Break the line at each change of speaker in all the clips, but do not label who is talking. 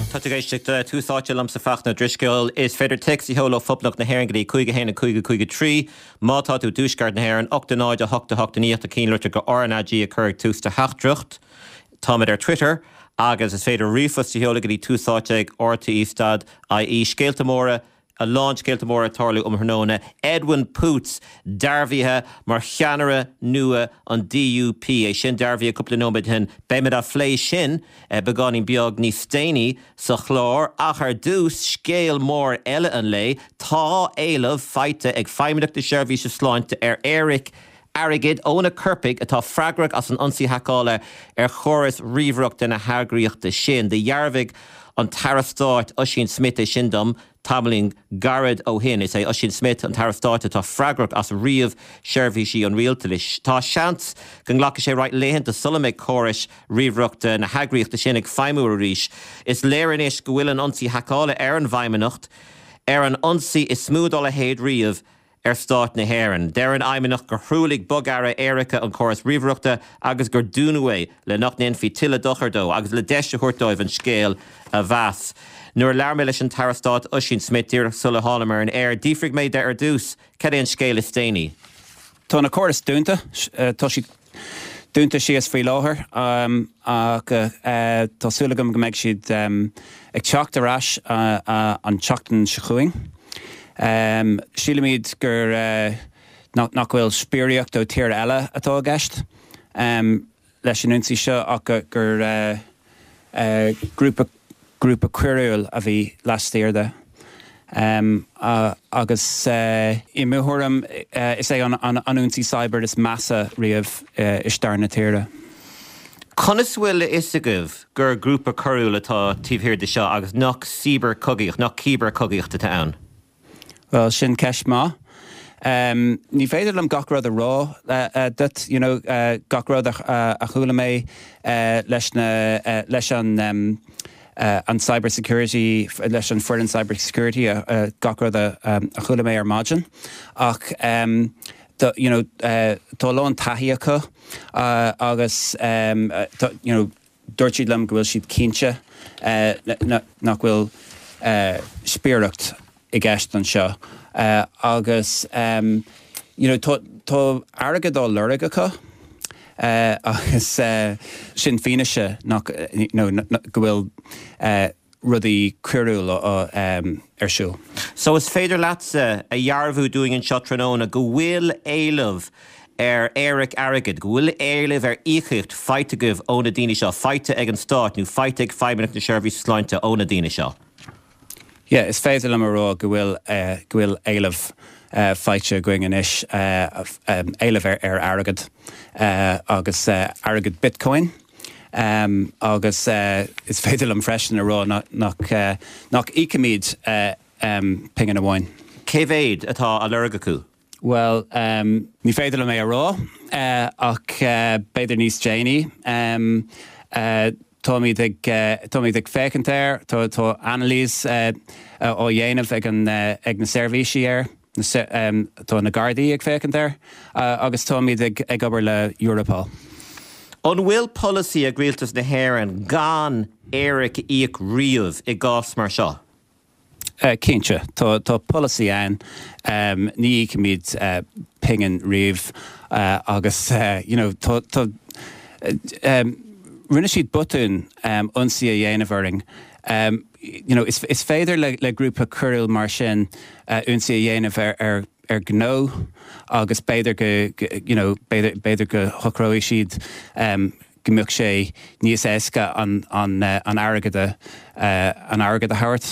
Tá tú ag éisteacht le Tús Áite liomsa Fachtna Ó Drisceoil. Is féidir téacs a sheoladh ó Phoblacht na hÉireann go dtí 5 1 5 5 3. Má tá tú i dTuaisceart na hÉireann, 8 0 8 8 9 tá cinnlitir go RnaG a chur ag tús do theachtaireacht. Táimid ar Twitter agus is féidir ríomhphost a sheoladh go dtí túsáite ag rte stad ie. Scéalta móra A lán scéalta móra ag tarlú um thráthnóna. Edwin Poots dearbhaithe mar cheannaire nua an DUP. É sin dearbhaithe cúpla nóiméad ó shin. Beimid á phlé sin beagáinín beag níos déanaí sa chlár. Ach ar dtús, scéal mór eile an lae. Tá éileamh faighte ag Feidhmeannacht na Seirbhíse Sláinte ar éiric airgid ó na coirpigh atá freagrach as an ionsaí haiceála ar chóras ríomhaireachta na heagraíochta sin. Dhearbhaigh an tAire Stáit Ossian Smyth é sin dom tamaillín gairid ó shin. Is é Ossian Smyth an tAire Stáit atá freagrach as ríomhsheirbhísí an rialtais. Tá seans go nglacfaidh sé roinnt laethanta sula mbeidh córais ríomhaireachta na heagraíochta sin ag feidhmiú arís. Is léir anois go bhfuil an ionsaí haiceála ar an bhFeidhmeannacht ar an ionsaí is mó dá leithéid riamh ar Stát na hÉireann. Deir an Fheidhmeannacht gur thruailligh bogearra éirice an córas ríomhaireachta agus gur dúnadh é le nach ndéanfaí tuilleadh dochair dó agus le deis a thabhairt dóibh an scéal a mheas. Nuair a labhair mé leis an tAire Stáit Ossian Smyth díreach sula thánamar ar an aer, d'fhiafraigh mé de ar dtús cad é an scéal is déanaí.
Tá na córais dúnta. Tá siad dúnta síos faoi láthair ach tá súil agam go mbeidh siad ag teacht ar ais an tseachtain seo chugainn. Sílimid gur nach bhfuil spiaireacht ó tír eile atá i gceist leis an ionsaí seo ach gur grúpa grúpa coiriúil a bhí laistiar de. Agus i mo thuairim, is é an ionsaí cyber is measa riamh i stair na tíre.
Conas a bhfuil a fhios agaibh gur grúpa coiriúil atá taobh thiar de seo agus nach cibearchogaíocht, nach cibearchogaíocht atá ann?
Bhuel, sin ceist maith. Ní féidir liom gach rud a rá duit, you know, gach rud a chuala mé leis na, leis an, an cyber security, leis an foireann cyber security, gach rud a chuala mé ar maidin. Ach, you know, tá a lán taithí acu agus, you know, Dúirt siad liom go bhfuil siad cinnte nach bhfuil spiaireacht i gceist anseo agus you know tá tá airgead á lorg acu agus sin fianaise nach you know go bhfuil rudaí coiriúil ar siúl.
So is féidir leatsa a dhearbhú dúinn anseo tráthnóna go bhfuil éileamh ar éiric airgid, go bhfuil éileamh ar íocaíocht faighte agaibh ó na daoine seo, faighte ag an Stát nó faighte ag Feidhmeannacht na Seirbhíse Sláinte ó na daoine seo?
Yeah, is féidir liom a rá go bhfuil go bhfuil éileamh faighte againn anois, éileamh ar airgead agus airgead Bitcoin. Agus is féidir liom freisin a rá nach nach íocfaimid pingin amháin.
Cé mhéad atá á lorg acu?
Bhuel, ní féidir liom é a rá, ach b'fhéidir níos déanaí. Táimid ag táimid ag féachaint air, tá tá anailís á dhéanamh ag an ag na seirbhísí air. Tá na Gardaí ag féachaint air agus táimid ag obair le Europol.
An bhfuil polasaí ag Rialtas na hÉireann gan éiric a íoc riamh i gcás mar seo?
Cinnte, tá polasaí ann. Ní íocfaimid pingin riamh agus you know tá rinne siad botún ionsaí a dhéanamh orainn. You know, is is féidir le le grúpa coiriúil mar sin ionsaí a dhéanamh ar ar ar ghnó agus b'fhéidir go you know, b'fhéidir b'fhéidir go shocróidh siad go mbeadh sé níos éasca an an an airgead a an airgead a thabhairt.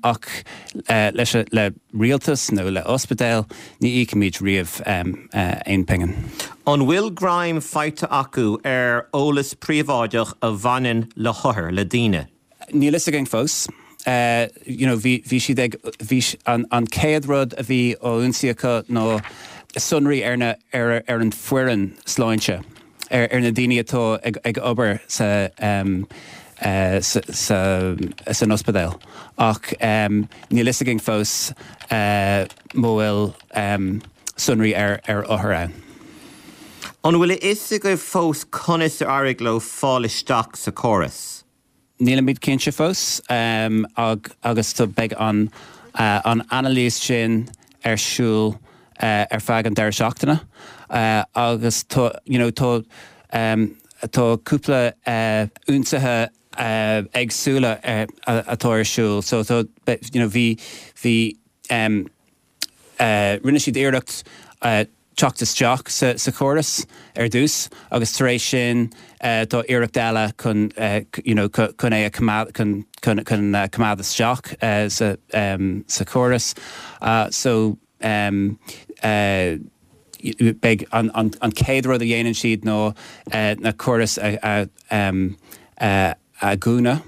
Ach leis le rialtas nó le ospidéal ní íocfaimid riamh aon phingin.
An bhfuil greim faighte acu ar eolas príobháideach a bhaineann le hothair, le daoine?
Níl fhios againn fós. You know, bhí, bhí siad ag, bhí, an, an chéad rud a bhí á ionsaí acu ná sonraí ar na, ar, ar an foireann sláinte, ar, ar na daoine atá ag, ag obair sa, sa, sa, san ospidéal. Ach níl fhios againn fós má bhfuil sonraí ar, ar othair ann.
An bhfuil a fhios agaibh fós conas ar éirigh leo fáil isteach sa chóras?
Nílimid cinnte fós agus beidh an anailís sin ar siúl ar feadh an deireadh seachtaine agus tá you know tá tá cúpla ionsaithe éagsúla atá ar siúl so tá you know bhí bhí Rinne siad iarracht teacht isteach sa chóras ar dtús agus tar éis sin tá iarracht eile chun you know chun é a choimeád chun chun coimeád isteach sa sa chóras. So beidh an an chéad rud a dhéanann siad ná na córais a a a dhúnadh,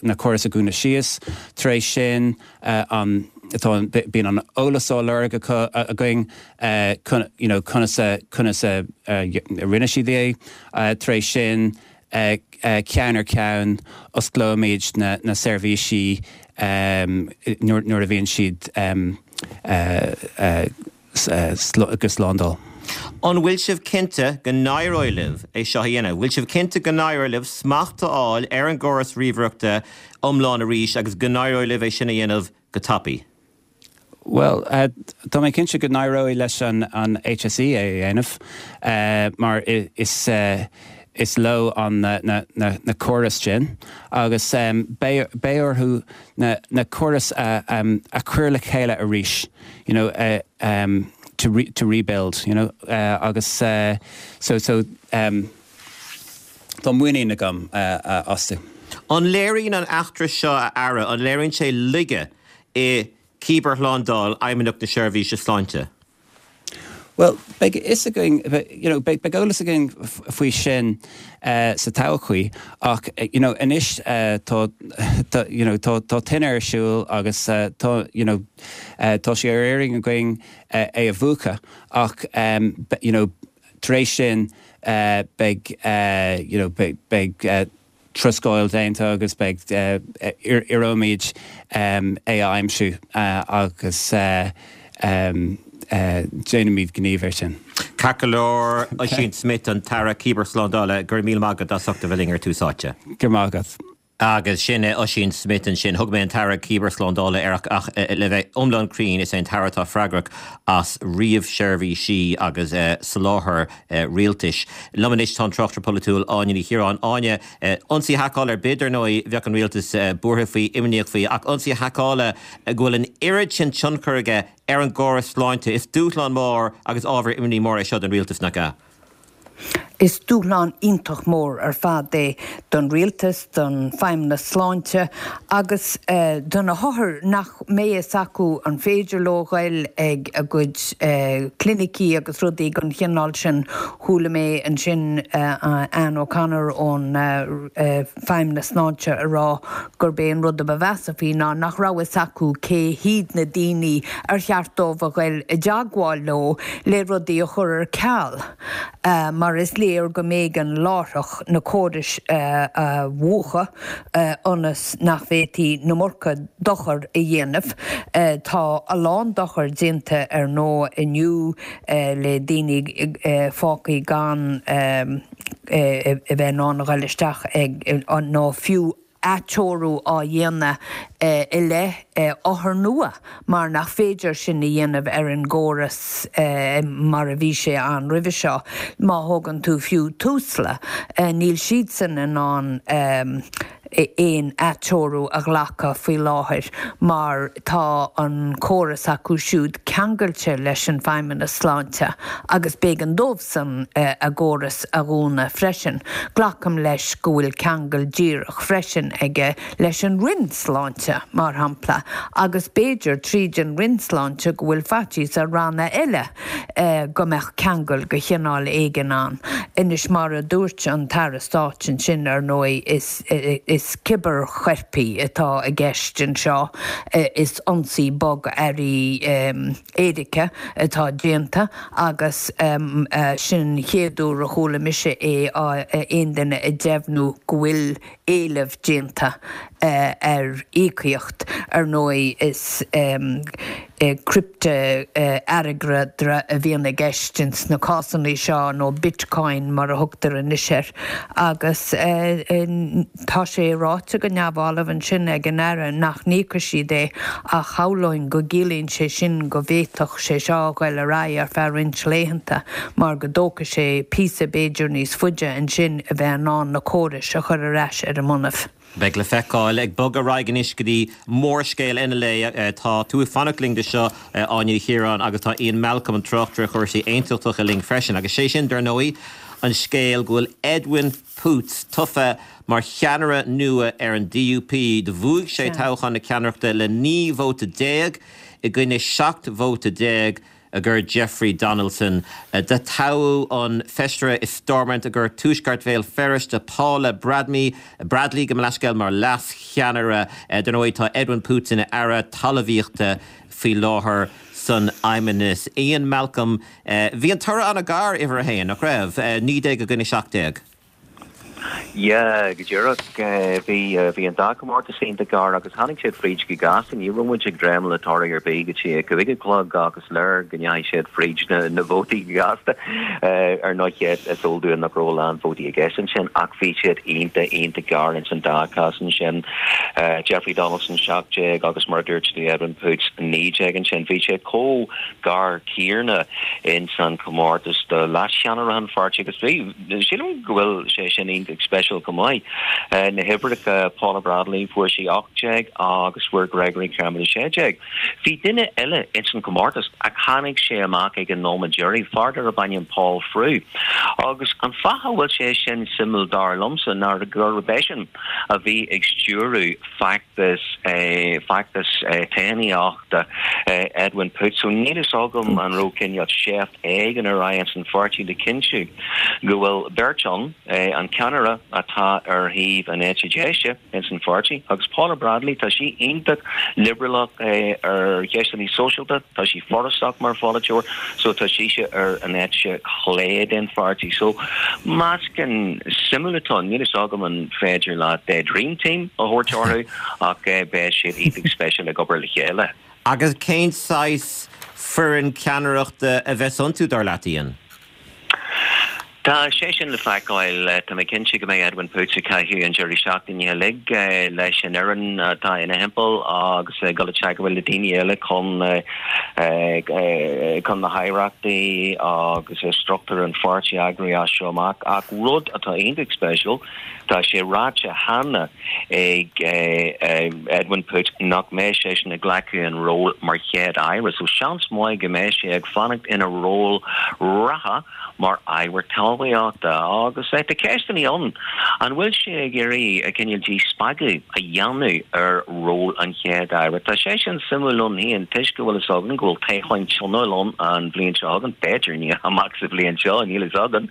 na córais a dhúnadh síos. Tar éis sin, an, tá, bíonn an eolas á lorg acu, againn, you know, conas a, conas a rinne siad é. Tar éis sin, ceann ar cheann, osclóimid na, na seirbhísí nuair, nuair a bhíonn siad go slándáil.
An bhfuil sibh cinnte go n-éireoidh libh é seo a dhéanamh? Bhfuil sibh cinnte go n-éireoidh libh smacht a fháil ar an gcóras ríomhaireachta iomlán arís agus go n-éireoidh libh é sin a dhéanamh go tapaidh?
Bhuel, tá mé cinnte go n-éireoidh leis an HSE é a dhéanamh mar is is leo an na córais sin agus beidh orthu na córais a chur le chéile arís. you know, to re, to rebuild, you know, agus so, so tá muinín agam astu.
An léiríonn an eachtra seo, a Aire, an léiríonn sé laige i cibearshlándáil Fheidhmeannacht na Seirbhíse Sláinte?
Bhuel, beidh a fhios againn, you know, beidh eolas againn faoi sin sa todhchaí ach, you know, anois tá, you know, tá, tá tine ar siúl agus tá, you know, tá sé ar iarraidh againn é a mhúchadh ach, you know, tar éis sin beidh, you know, beidh, beidh, troscáil déanta agus beidh, iarróimid é a aimsiú agus déanfaimid gníomh air sin.
Ceart go leor, Ossian Smyth, an tAire Cibearshlándála, go raibh míle maith agat as ucht a bheith linn ar Tús Áite.
Go raibh maith agat.
Agus sin é Ossian Smyth ansin. Thug mé an tAire Cibearshlándála air ach le bheith iomlán cruinn is é an tAire atá freagrach as ríomhsheirbhísí agus soláthar rialtais. Liom anois tá an tráchtaire polaitiúil Áine Ní Chiaráin. Áine, ionsaí haiceála ar bith, dar ndóigh, bheadh an rialtas buartha faoi, imníoch faoi, ach ionsaí haiceála go bhfuil an oiread sin tionchar aige ar an gcóras sláinte, is dúshlán mór agus ábhar imní mór é seo don rialtas, nach ea?
Is dúshlán iontach mór ar fad é don rialtas, don Feidhmeannas Sláinte agus do na hothair nach mbeidh fhios acu an féidir leo ghoil ag a gcuid clinicí agus rudaí den chineál sin. Chuala mé ansin Anne O'Connor ón Feidhmeannas Sláinte a rá gurb é an rud a ba mheasa faoi ná nach raibh fhios acu cé hiad na daoine ar cheart dóibh a ghoil i dteagmháil leo le rudaí a chur ar ceal mar is léir go mb'éigean láithreach na córais a mhúchadh ionas nach bhféadfaí an iomarca dochar a dhéanamh. Tá a lán dochair déanta ar ndóigh inniu le daoine fágtha gan a bheith in ann a ghoil isteach ag nó fiú atreorú á dhéanamh i leith othar nua mar nach féidir sin a dhéanamh ar an gcóras mar a bhí sé ann roimhe seo. Má thógann tú fiú Tusla, níl siadsan in ann aon atreorú a ghlacadh faoi láthair mar tá an córas acu siúd ceangailte leis an Feidhmeannas Sláinte agus b'éigean dóibhsan a gcóras a dhúnadh freisin. Glacaim leis go bhfuil ceangal díreach freisin aige leis an Roinn Sláinte, mar shampla, agus b'fhéidir tríd an Roinn Sláinte go bhfuil faitíos ar ranna eile go mbeadh ceangal de chineál éigin ann. Anois, mar a dúirt an tAire Stáit ansin, ar ndóigh, is is cibearchoirpigh atá i gceist anseo, is ionsaí bogearraí éirice atá déanta agus sin an chéad uair a chuala mise é aon duine ag deimhniú go bhfuil éileamh déanta ar íocaíocht. Ar ndóigh is. Criptea-airgeadra a bhíonn i gceist ins na cásanna seo, nó Bitcoin mar a thugtar anois air, agus tá sé ráite go neamhbhalbh ansin ag an Aire nach n-íocfaidh siad é ach shamhlóinn go gciallaíonn sé sin go bhféadfadh sé seo a ghoil ar aghaidh ar feadh roinnt laethanta mar go dtógfaidh sé píosa b'fhéidir níos faide ansin a bheith in ann na córais a chur ar ais ar a mbonnaibh.
Beidh le feiceáil. Ag bogadh ar aghaidh anois go dtí mórscéal eile an lae. Tá tú ag fanacht linn do seo, Áine Ní Chiaráin, agus tá Ian Malcolm, an tráchtaire chúrsaí aontachtacha linn freisin. Agus sé sin, dar ndóigh, an scéal go bhfuil Edwin Poots tofa mar cheannaire nua ar an DUP. Do bhuaigh sé toghchán na ceannaireachta le 19 vóta i gcoinne 17 vóta. I gcoinne Jeffrey Donaldson. Do toghadh an feisire i Stormont i gcomhair Tuaisceart Bhéal Feirste, Paula Bradley, Bradley gabh mo leithscéal, mar leas-cheannaire. Dar ndóigh tá Edwin Poots ina Aire Talmhaíochta faoi láthair san Fheidhmeannas. Ian Malcolm, bhí an toradh an-ghar, uimhir a haon, nach raibh? 19 i gcoinne 17.
Yeah, go díreach. Bhí, bhí an dá chomórtas iontach gar agus tháinig siad fríd go gasta. Ní raibh muid ag dréim le toradh ar bith go dtí a 5 a chlog ach is léir go ndeachaigh siad fríd na, na vótaí go gasta. Ar ndóigh, is eol dúinn nach raibh a lán vótaí i gceist ansin ach bhí siad iontach, iontach gar ins an dá chás ansin. Jeffrey Donaldson 17 agus mar a dúirt tú Edwin Poots 19 ansin. Bhí sé chomh gar céanna ins an chomórtas do leascheannaire an pháirtí agus bhí, Sílim go bhfuil sé sin iontach speisialta chomh maith. Na huimhreacha, Paula Bradley, fuair sí 18 agus fuair Gregory Campbell 16. Bhí duine eile ins an chomórtas ach tháinig sé amach ag an nóiméad deiridh, fear darb ainm Paul Frew. Agus an fáth a bhfuil sé sin suimiúil dar liomsa ná gurb eisean a bhí ag stiúradh feachtas feachtas toghchánaíochta Edwin Poots. So níl fhios agam an raibh cineál seift éigin ar aghaidh ins an pháirtí le cinntiú go bhfuil beirt ann, an ceannaire atá ar thaobh an eite deise ins an pháirtí agus Paula Bradley, tá sí iontach liobrálach ar cheisteanna sóisialta, tá sí forásach mar pholaiteoir so tá sise ar an eite chlé den pháirtí. So meascán suimiúil atá ann, níl fhios agam an féidir leat dream team a thabhairt orthu ach beidh siad iontach speisialta ag obair le chéile.
Agus cén saghas foireann ceannaireachta a bheas iontu, dar leat, Ian?
Tá sé sin le feiceáil. Tá mé cinnte go mbeidh Edwin Poots ag caitheamh an deireadh seachtaine uilig leis an fhoireann atá ina thimpeall agus ag dul i dteagmháil le daoine eile chun chun na haireachtaí agus struchtúr an pháirtí a eagrú as seo amach. Ach rud atá iontach speisialta, tá sé ráite cheana ag Edwin Poots nach mbeidh seisean ag glacadh an ról mar Chéad Aire, so seans maith go mbeidh sé ag fanacht ina ról reatha mar Aire Talmhaíochta. Agus tá ceisteanna ann, an bhfuil sé ag iarraidh cineál díspeagadh a dhéanamh ar ról an Chéad Aire? Tá sé sin suimiúil ann féin toisc go bhfuil fhios againn go bhfuil toghcháin tionóil ann an bhliain seo chugainn, b'fhéidir, ní amach sa bhliain seo, níl fhios againn,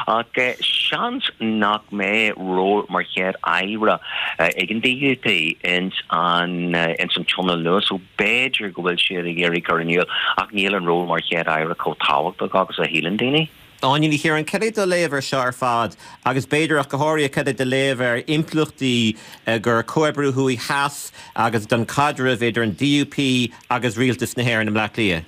ach seans nach mbeidh ról mar Chéad Aire ag an DUP ins an ins an tionól nua so b'fhéidir go bhfuil siad ag iarraidh cur in iúl ach níl an ról mar Chéad Aire chomh tábhachtach agus a shíleann daoine.
Áine Ní Chiaráin, cad é do léamh ar seo ar fad agus b'fhéidir ach go háirithe cad é do léamh ar impleachtaí gur comhoibriú thuaidh theas agus don caidreamh idir an DUP agus Rialtas na hÉireann i mBleá Cliath?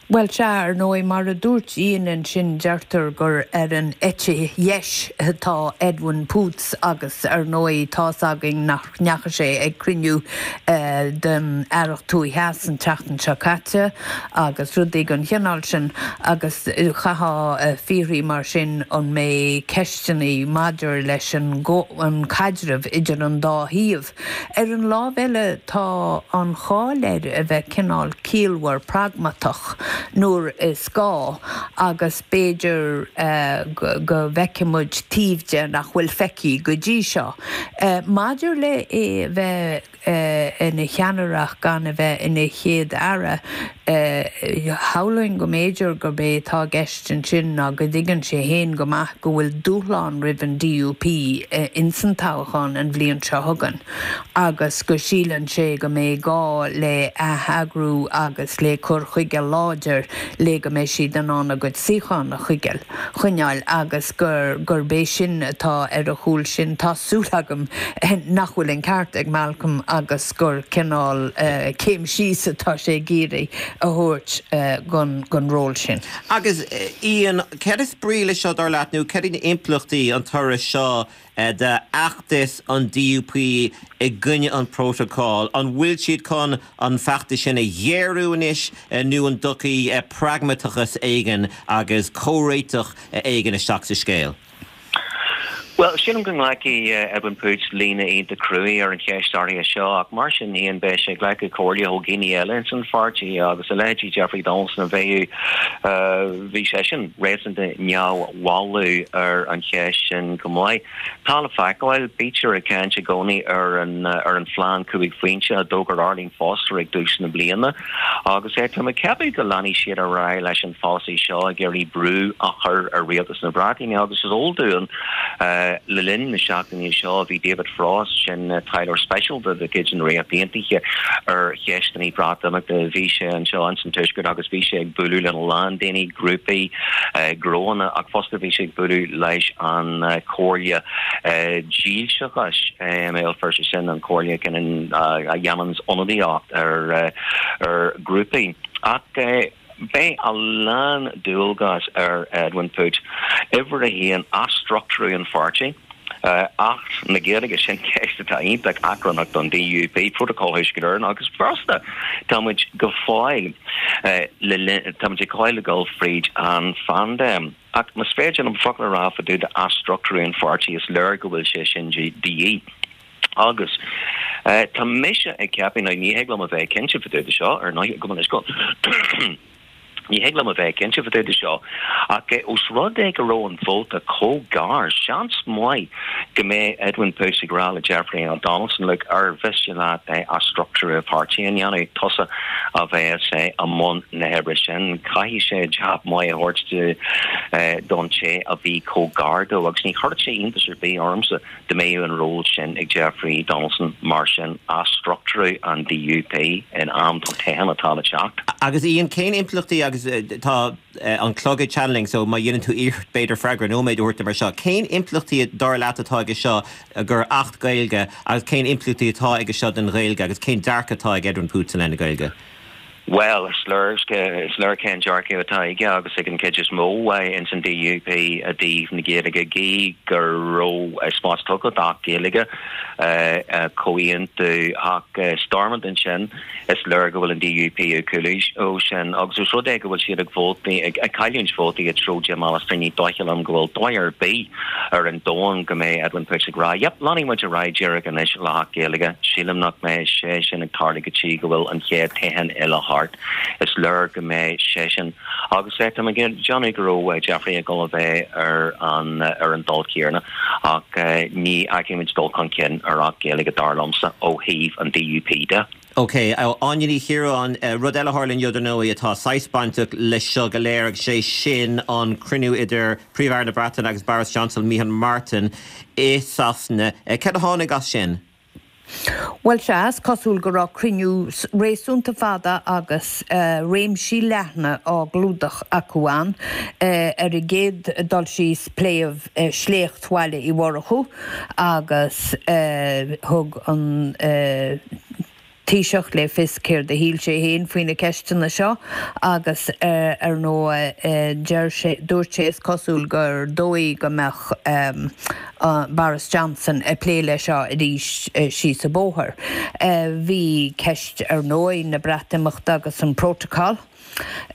Bhuel, sea, ar ndóigh, mar a dúirt Ian ansin, deirtear gur ar an eite dheis atá Edwin Poots agus, ar ndóigh, tá's againn nach ndeachaigh sé ag cruinniú den Aireacht Thuaidh Theas an tseachtain seo caite agus rudaí den chineál sin agus chaithfeá fiafraí mar sin an mbeidh ceisteanna maidir leis an caidreamh idir an dá thaobh Ar an lámh eile, tá an cháil air a bheith cineál ciallmhar pragmatach nuair is gá agus b'fhéidir go bhfeicfidh muid taobh de nach bhfuil feicthe go dtí seo. Maidir le é a bheith ina cheannaire ach gan a bheith ina Chéad-Aire, Shamhlóinn go mb'fhéidir gurb é atá i gceist ansin ná go dtuigeann sé féin go maith go bhfuil dúshlán roimh an DUP ins an toghchán an bhliain seo chugainn agus go síleann sé go mbeidh gá le atheagrú agus le cur chuige láidir. láidir le go mbeidh siad in ann a gcuid suíochán a choinneáil agus gur gurb é sin atá ar a chúl sin. Tá súil agam nach bhfuil an ceart ag Malcolm agus gur cineál céim síos atá sé ag iarraidh a thabhairt gon ról sin.
Agus Ian, céard is brí leis seo dar leat nó céard iad na impleachtaí an toradh seo d'fheachtas an DUP i gcoinne an Protocol? An bhfuil siad chun an feachtas sin a ghéarú anois nó an dtiocfaidh pragmatachas éigin agus comhréiteach éigin isteach sa scéal?
Bhuel, sílim go nglacfaidh Edwin Poots líne iontach cruaidh ar an cheist áirithe seo ach mar sin féin beidh sé ag glacadh comhairle ó dhaoine eile ins an pháirtí agus a leithéidí Jeffrey Donaldson a bheadh, bhí seisean réasúnta neamhbhalbh ar an cheist sin go maith. Tá le feiceáil, bítear ag caint i gcónaí ar an ar an phlean 5 phointe a d'fhógair Arlene Foster ag dtús na bliana agus tá mé ag ceapadh go leanfaidh siad ar aghaidh leis an pholasaí seo ag iarraidh brú a chur ar rialtas na Breataine agus is eol dúinn le linn na seachtaine seo bhí David Frost, sin taidhleoir speisialta de chuid na Ríochta Aontaithe ar cheisteanna Breatimeachta, bhí sé anseo ins an Tuaisceart agus bhí sé ag bualadh lena lán daoine, grúpaí, gnóanna ach fosta bhí sé ag bualadh leis an Chomhairle Dílseachais i mBéal Feirste, sin an chomhairle a dhéananns ionadaíocht ar ghrúpaí. Ach beidh a lán dualgas ar Edwin Poots. Uimhir a haon, athstruchtúrú an pháirtí. Acht na Gaeilge, sin ceist atá iontach achrannach don DUP, Prótacal Thuaisceart Éireann agus fosta tá muid go fóill le linn, tá muid ag fóill ag dul fríd an phaindéim. Ach más féidir liom focal a rá fá dtaobh d'athstruchtúrú an pháirtí, is léir go bhfuil sé sin de dhíth. Agus tá mise ag ceapadh, now ní thig liom a bheith cinnte fá dtaobh de seo, ar ndóigh, gabh mo leithscéal. Ní thig liom a bheith cinnte fá dtaobh de seo, ach ós rud é go raibh an vóta chomh gar, seans maith go mbeidh Edwin Poots ag rá le Jeffrey Donaldson, look, ar mhiste leat athstruchtúrú an pháirtí a dhéanamh, tusa a bheas i mbun na hoibre sin. Caithfidh sé jab maith a thabhairt don té a bhí chomh gar dó agus ní chuirfeadh sé iontas ar bith ormsa Dá mbeadh an ról sin ag Jeffrey Donaldson mar sin, athstruchtúrú an DUP in am don toghchán atá le teacht.
Agus Ian, cén impleachtaí, agus tá an clog ag teannadh linn so má dhéanann tú iarracht b'fhéidir freagra nóiméad a thabhairt dom ar seo, cén impleachtaí dar leat atá aige seo gur Acht Gaeilge agus cén impleachtaí atá aige seo don Ghaeilge agus cén dearcadh atá ag Edwin Poots i leith na Gaeilge?
Bhuel, is léir, is léir cén dearcadh atá aige agus ag an chuid is mó ins an DUP i dtaobh na Gaeilge, gí go raibh spás tugtha d'Acht Gaeilge, comhaontú ach Stormont ansin, is léir go bhfuil an DUP ag cúlú ó sin agus os rud é go bhfuil siad ag vótaí, ag cailliúint vótaí i dtreo Jim Allister, ní dóiche liom go bhfuil dóigh ar bith ar an domhan go mbeidh Edwin Poots ag rá, yep, leanfaidh muid ar aghaidh díreach anois le hAcht Gaeilge. Sílim nach mbeidh sé sin ag tarlú go dtí go bhfuil an chéad toghchán eile thart. Is léir go mbeidh seisean agus tá mé ag déanamh go raibh Jeffrey ag dul a bheith ar an ar an dul céanna ach ní fheicfidh muid dul chun cinn ar Acht Gaeilge dar liomsa ó thaobh an DUP de.
Ok, Áine Ní Chiaráin, rud eile a tharla inniu dar ndóigh atá saghas bainteach leis seo go léir agus sé sin an cruinniú idir Príomh-Aire na Breataine agus Boris Johnson, Micheál Martin i Sasana. Cad a tháinig as sin?
Bhuel sea, is cosúil go raibh cruinniú réasúnta fada agus réimsí leathna á gclúdach acu ann. Ar an gcéad dul síos pléadh sléacht Bhaile Uí Mhurchú agus thug an Taoiseach le fios céard a shíl sé féin faoi na ceisteanna seo agus ar ndóigh deir sé, dúirt sé is cosúil gur dóigh go mbeadh Boris Johnson ag plé leis seo arís síos an bóthar. Bhí ceist ar ndóigh na Breatimeachta agus an Protocol.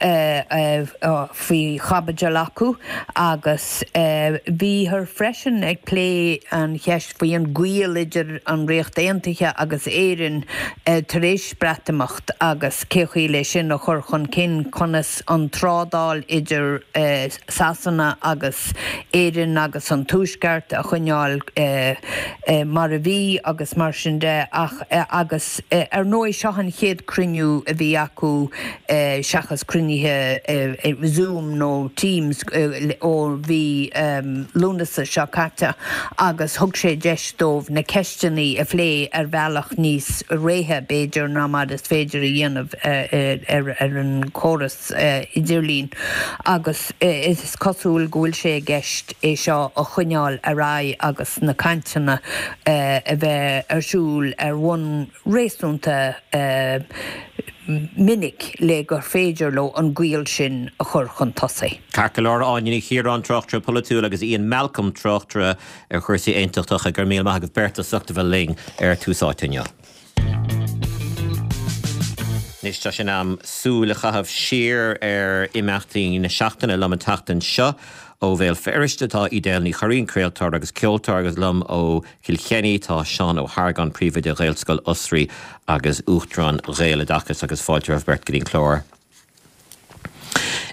faoi chaibidil acu agus bhíothar freisin ag plé an cheist faoi an gaol idir an Ríocht Aontaithe agus Éirinn tar éis Breatimeacht agus cé chaoi le sin a chur chun cinn, conas an trádáil idir Sasana agus Éirinn agus an Tuaisceart a choinneáil mar a bhí agus mar sin de ach agus ar ndóigh seo an chéad cruinniú a bhí acu. seachas cruinnithe ar Zoom nó Teams ó mhí Lúnasa seo caite agus thug sé deis dóibh na ceisteanna a phlé ar bhealach níos réidhe, b'fhéidir, ná mar is féidir a dhéanamh ar an chóras idirlín agus is cosúil go bhfuil sé i gceist é seo a choinneáil ar aghaidh agus na cainteanna a bheith ar siúl ar bhonn réasúnta minic le gur féidir leo an gaol sin a chur chun tosaigh.
Ceart go leor, Áine Ní Chiaráin, tráchtaire polaitiúil agus Ian Malcolm, tráchtaire ar chúrsaí aontachtacha, go raibh míle maith agaibh beirt as ucht a bheith linn ar Tús Áite inniu. Anois tá sé in am súil a chaitheamh siar ar imeachtaí na seachtaine. Liom an tseachtain seo ó Bhéal Feirste tá Edel Ní Churraoin, craoltóir agus ceoltóir, agus liom ó Chill Chainnigh tá Seán Ó hArgáin, Príomhoide Ghaelscoil Osraí agus Uachtarán Ghaeloideachas agus fáilte romhaibh beirt go dtí an clár.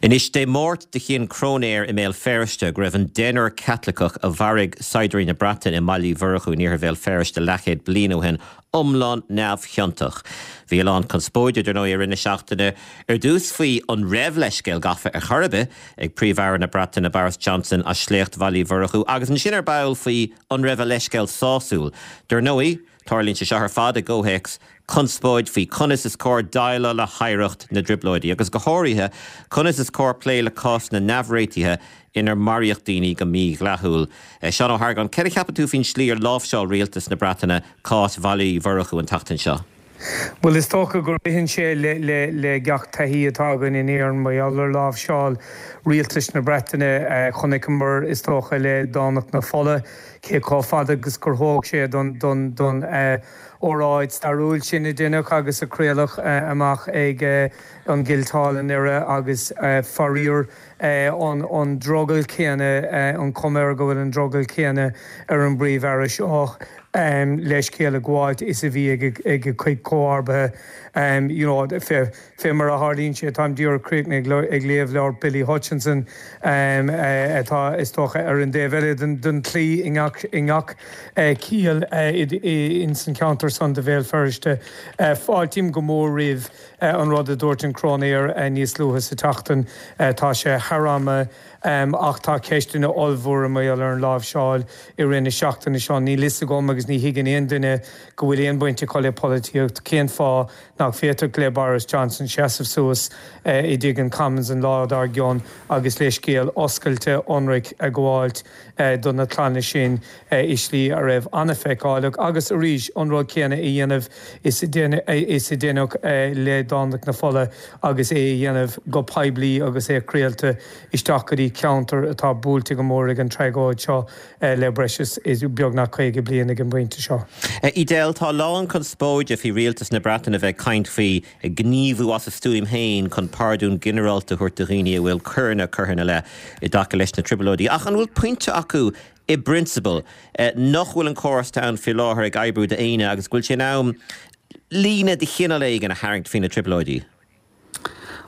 Anois, Dé Máirt do chinn cróinéir i mBéal Feirste go raibh an deichniúr Caitliceach a mharaigh saighdiúirí na Breataine i mBaile Uí Mhurchú in iarthar Bhéal Feirste leathchéad bliain ó shin iomlán neamhchiontach. Bhí a lán conspóide, dar ndóigh, i rith na seachtaine, ar dtús faoi an raibh leithscéal gafa ar chor ar bith ag Príomh-Aire na Breataine Boris Johnson as sléacht Bhaile Uí Mhurchú agus ansin ar ball faoi an raibh a leithscéal sásúil. Dar ndóigh, Tarlaíonn sé seo ar fad i gcomhthéacs conspóid faoi conas is cóir déileáil le hoidhreacht na dTrioblóidí, agus go háirithe, conas is cóir plé le cásanna neamhréitithe inar maraíodh daoine go mídhleathúil. Seán Ó hArgáin, céard a cheapann tú faoin slí ar láimhseáil rialtas na Breataine cás Bhaile Uí Mhurchú an tseachtain seo?
Bhuel, is dócha go ritheann sé le gach taithí atá againn in Éirinn mar gheall ar láimhseáil rialtais na Breataine. Chonaiceamar, is dócha, le Domhnach na Fola, Cé chomh fada agus gur thóg sé don óráid stairiúil sin a deineadh agus a craoladh amach ag an gCuilt Hall i nDoire agus faraor an drogall céanna, an chuma air go bhfuil an drogall céanna ar an bPríomh-Aire seo leithscéal a ghabháilt is a bhí ag a chuid comharbaithe. You know, Fé mar a tharlaíonn sé, táim díreach críochnaithe ag léamh leabhar Billy Hutchinson, atá, is dócha, ar an dtaobh eile den chlaí i ngach ciall ins an cheantar san de Bhéal Feirste. Fáiltím go mór roimh an rud a dúirt an Cróinéir níos luaithe sa tseachtain. Tá sé thar am, ach tá ceisteanna ollmhóra mar gheall ar an láimhseáil i rith na seachtaine seo. Níl fhios agam agus ní thuigeann aon duine go bhfuil aon bhaint acu le polaitíocht cén fáth nach bhféadfadh le Boris Johnson seasamh suas i dTigh an Commons an lá dár gcionn agus leithscéal oscailte ionraic a ghabháilt do na clanna sin i slí a raibh an-fheiceálach agus arís an rud céanna a dhéanamh is a deineadh le Domhnach na Fola agus é a dhéanamh go poiblí agus é craolta isteach go dtí ceantar atá buailte go mór ag an tragóid seo. le breis is beagnach 50 bliain ag an bpointe seo.
Edel, tá a lán conspóide faoi rialtas na Breataine a bheith ag caint faoi gníomhú as a stuaim féin chun pardún ginearálta a thabhairt do dhaoine a bhfuil coireanna curtha ina leith i dtaca leis na Trioblóidí. Ach an bhfuil pointe acu i bprionsabal nach bhfuil an córas atá ann faoi láthair ag oibriú d'éinne agus go bhfuil sé in am líne de chineál éigin a tharraingt faoi na Trioblóidí?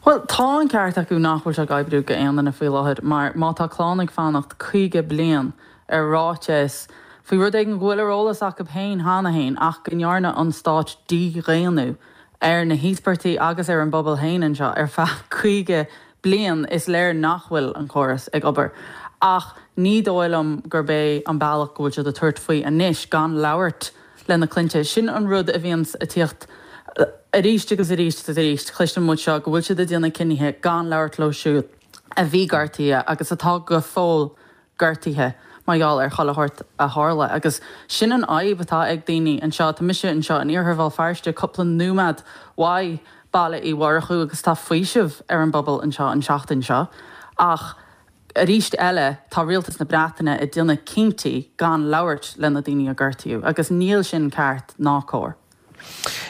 Bhuel, tá an ceart acu nach bhfuil sé ag oibriú go aon duine faoi láthair mar má tá clann ag fanacht 50 bliain ar ráiteas faoi rud éigin go bhfuil ar eolas acu féin cheana féin ach go ndearna an stát dídhaonnú ar na híospartaigh agus ar an bpobal féin anseo ar feadh 50 bliain, is léir nach bhfuil an córas ag obair. Ach ní dóigh liom gurb é an bealach go bhfuil siad ag tabhairt faoi anois gan labhairt le na clainne. Sin an rud a bhíonns ag tíocht arís agus arís agus arís. Cloiseann muid seo, go bhfuil siad ag déanamh cinnithe gan labhairt leo siúd a bhí gortaithe agus atá go fóill gortaithe mar gheall ar chuile shórt a tharla. Agus sin an fhadhb atá ag daoine anseo. Tá mise anseo in iarthar Bhéal Feirste, cúpla nóiméad uaidh Baile Uí Mhurchú agus tá faoiseamh ar an bpobal anseo an tseachtain seo. Ach. Arís eile, tá rialtas na Breataine ag déanamh cinntí gan labhairt le na daoine a gortaíodh, agus níl sin ceart ná cóir.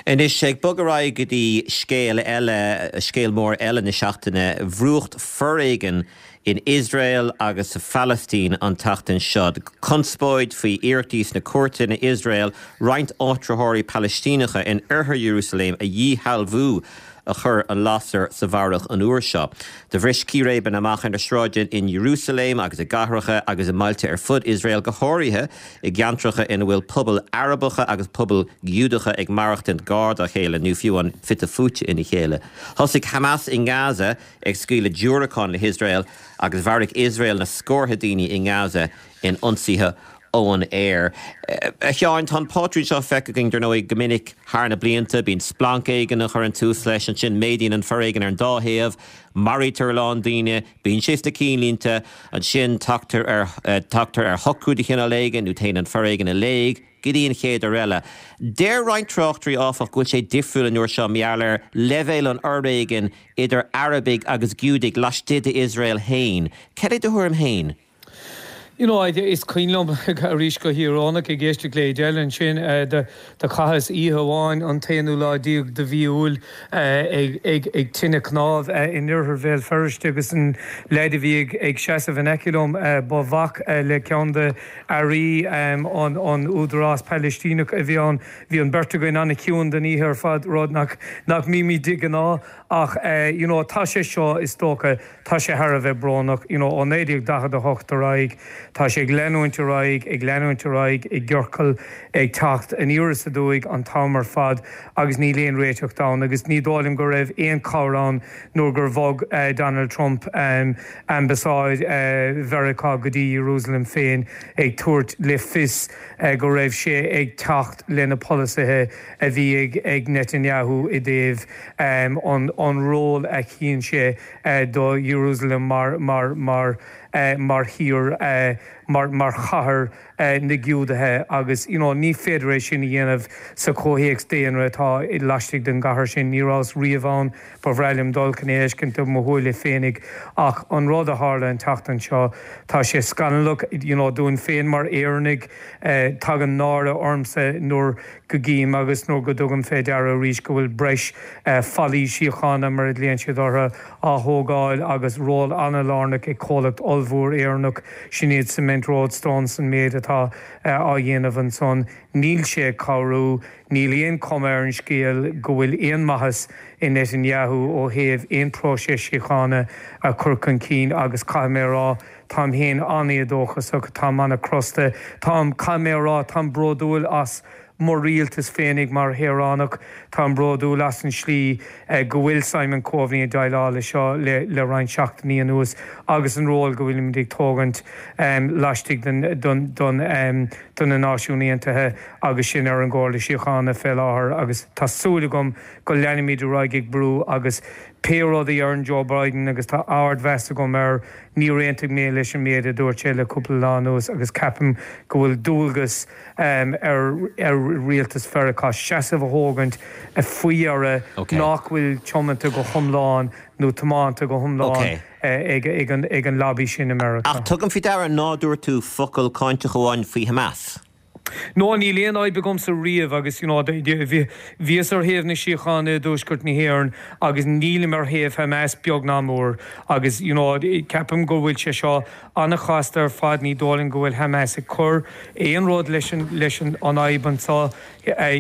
Anois, ag bogadh ar aghaidh go dtí scéal eile, scéal mór eile na seachtaine, brúcht foréigin in Iosrael agus sa Phalaistín an tseachtain seo. Conspóid faoi iarrachtaí sna cúirteanna in Iosrael roinnt áitritheoirí Palaistíneacha in oirthear Iarúsailéim a dhíshealbhú. a chuir an lasair sa bharrach an uair seo. Do bhris círéibeanna amach ar na sráideanna in Iarúsailéim agus i gcathracha agus i mbailte ar fud Iosrael, go háirithe i gceantracha ina bhfuil pobail Arabacha agus pobail Ghiúdacha ag maireachtaint gar dá chéile nó fiú amháin fite fuaite ina chéile. Thosaigh Hamas i nGaza ag scaoileadh diúracán le hIosrael agus mharaigh Iosrael na scórtha daoine i nGaza in ionsaithe ón aer. A Sheáin, tá an pátrún seo feicthe againn, dar ndóigh, go minic thar na blianta. Bíonn splanc éigin a chuireann tús leis, ansin méadaíonn an foréigean ar an dá thaobh, maraítear a lán daoine, bíonn sé sna cinnlínte, ansin tagtar ar, tagtar ar shocrú de chineál éigin nó téann an foréigean i léig go dtí an chéad uair eile. Deir roinnt tráchtairí, áfach, go bhfuil sé difriúil an uair seo mar gheall ar leibhéal an fhoréigin idir Arabaigh agus Giúdaigh laistigh d'Iosrael féin. Cad é do thuairim féin?
You know, is cuimhin liom, arís go híorónach, ag éisteacht le Edel ansin, do chaitheas oíche amháin an t-aonú lá déag de mhí Iúil ag tine cnámh in oirthear Bhéal Feirste agus an leaid a bhí ag seasamh in aice liom, ba mhac le ceann de airí an Údarás Palaistíneach a bhí ann. Bhí an bheirt againn an-chiúin don oíche ar fad, rud nach mbímid de ghnáth ach you know, tá sé seo, is dócha, Tá sé thar a bheith brónach, you know, ó 1948 ar aghaidh, tá sé ag leanúint ar aghaidh, ag leanúint ar aghaidh, i gciorcal, ag teacht aniar is aduaidh an t-am ar fad agus níl aon réiteach ann agus ní dóigh liom go raibh aon chabhair ann nuair gur bhog Donald Trump ambasáid Mheiriceá go dtí Ierúsalem féin ag tabhairt le fios go raibh sé ag teacht le na polasaithe a bhí ag Netanyahu i dtaobh an ról a chíonn sé do Jerusalem mar mar mar mar thír mar mar chathair na Giúdaithe agus you know ní féidir é sin a dhéanamh sa chomhthéacs daonra atá laistigh den gcathair sin. Ní rabhas riamh ann, ba bhreá liom dul chun é a fheiscint de mo shúile féinig ach an rud a tharla an tseachtain seo, tá sé scannalach you know dúinn féin mar Éireannaigh, tagann náire ormsa nuair go gcím agus nuair go dtugaim fé deara arís go bhfuil breis fallaí síochána, mar a ghlaonn siad orthu, á thógáil agus ról an-lárnach ag comhlacht ollmhór Éireannach, sin iad Cement Roadstone, san méid atá á dhéanamh ansan. Níl sé ag cabhrú. Níl aon chuma ar an scéal go bhfuil aon mhaitheas i Netanyahu ó thaobh aon próiseas síochána a chur chun cinn agus caithfidh mé a rá, Táim féin an-éadóchasach, táim an-chrosta, táim, caithfidh mé a rá, táim bródúil as mo rialtas féinig mar shaoránach, táim bródúil as an slí go bhfuil Simon Coveney ag déileáil le seo le roinnt seachtainí anuas agus an ról go bhfuilimid ag tógaint laistigh den, de na Náisiúin Aontaithe agus sinn ar an gComhairle Síochána fé láthair agus tá súil agam go leanfaimid ar aghaidh ag brú agus pé rud a deireann Joe Biden agus tá ardmheas agam air, Níor aontaigh mé leis an méid a dúirt sé le cúpla lá anuas agus ceapaim go bhfuil dualgas ar rialtas Mheiriceá seasamh a thógaint faoi dheireadh nach bhfuil tiomanta go hiomlán nó tiomanta go hiomlán ag an lobby sin i Meiriceá.
Ach tugaim faoi deara ná dúirt tú focal cáinteach amháin faoi Hamas.
No, níl aon fhadhb agamsa riamh agus you know bhíos ar thaobh na síochána i dtuaisceart na hÉireann agus nílim ar thaobh Hamas beag ná mór agus you know ceapaim go bhfuil sé seo an-chasta ar fad, ní dóigh liom go bhfuil Hamas ag cur aon rud leis an leis an fhadhb anseo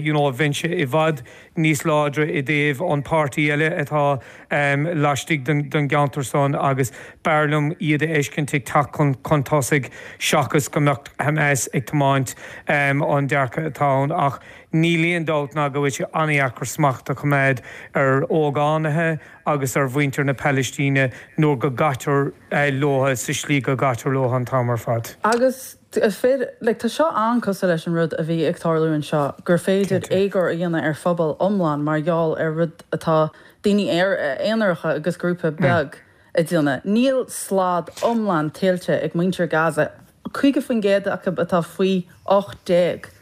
you know bheinnse i bhfad níos láidre i dtaobh an páirtí eile atá laistigh den gceantar san agus b'fhearr liom iad a fheiscint ag teacht chun tosaigh seachas go mbeadh Hamas ag tiomáint an dearcadh atá ann. Ach níl aon dabht ná go bhfuil sé an-dheacair smacht a choimeád ar ógánaithe agus ar mhuintir na Palaistíne nuair go gcaitear leo sa slí go gcaitear leo an t-am ar fad.
Agus Is féidir, like, tá seo an-cosúil leis an rud a bhí ag tarlú anseo, gur féidir éagóir a dhéanamh ar phobal iomlán mar gheall ar rud atá daoine aonaracha agus grúpa beag ag déanamh. Níl slad iomlán tuillte ag muintir Gaza, 50% acu atá faoi 18,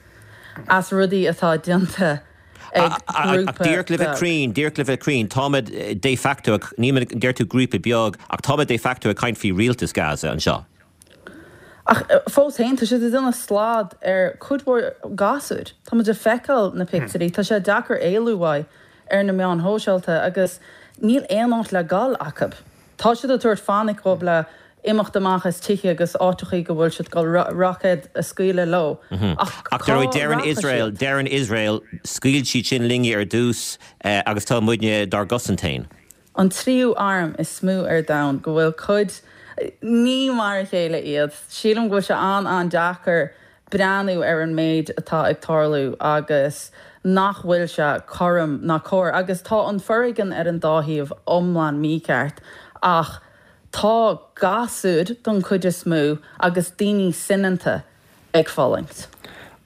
as rudaí atá déanta ag
grúpa beag. Díreach le bheith cruinn, díreach le bheith cruinn, táimid de facto, níl, deir tú grúpa beag, ach táimid de facto ag caint faoi rialtas Gaza anseo.
Ach fós féin, tá siad ag déanamh slad ar cuid mhór gasúir. Tá muid ag feiceáil na pictiúirí, tá sé deacair éalú uaidh ar na meáin shóisialta agus níl aon áit le dul acu. Tá siad ag tabhairt fainic dhóibh le. imeacht amach as tithe agus áiteachaí go bhfuil siad ag dul roicéid a scaoileadh leo.
Ach Ach cá deireann rachaidh Iosrael, siad? deireann Iosrael, scaoil siad sin linne ar dtús agus tá muidne dár gcosaint féin.
An tríú arm is mó ar domhan go bhfuil cuid, ní mar a chéile iad. Sílim go bhfuil sé an-an-deacair breathnú ar an méid atá ag tarlú agus nach bhfuil sé cothrom ná cóir. Agus tá an foréigean ar an dá thaobh iomlán mícheart ach tá gasúir don chuid is mó agus daoine soineanta ag fulaingt.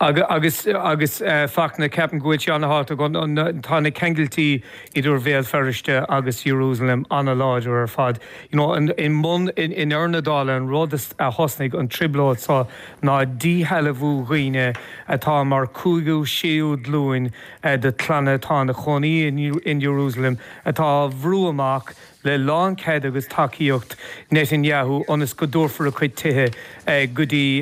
Agus, agus Fachtna, ceapaim go bhfuil sé an-thábhachtach, tá na ceangailtí idir Bhéal Feirste agus Jerusalem an-láidir ar fad. You know, i mbun, i ndeireadh na dála, an rud a thosnaigh an trioblóid seo ná díshealbhú dhaoine atá mar cúigiú, séú glúin de chlanna atá ina chónaí in Jerusalem atá á bhrú amach le lánchead agus tacaíocht Netanyahu ionas go dtabharfar a gcuid tithe go dtí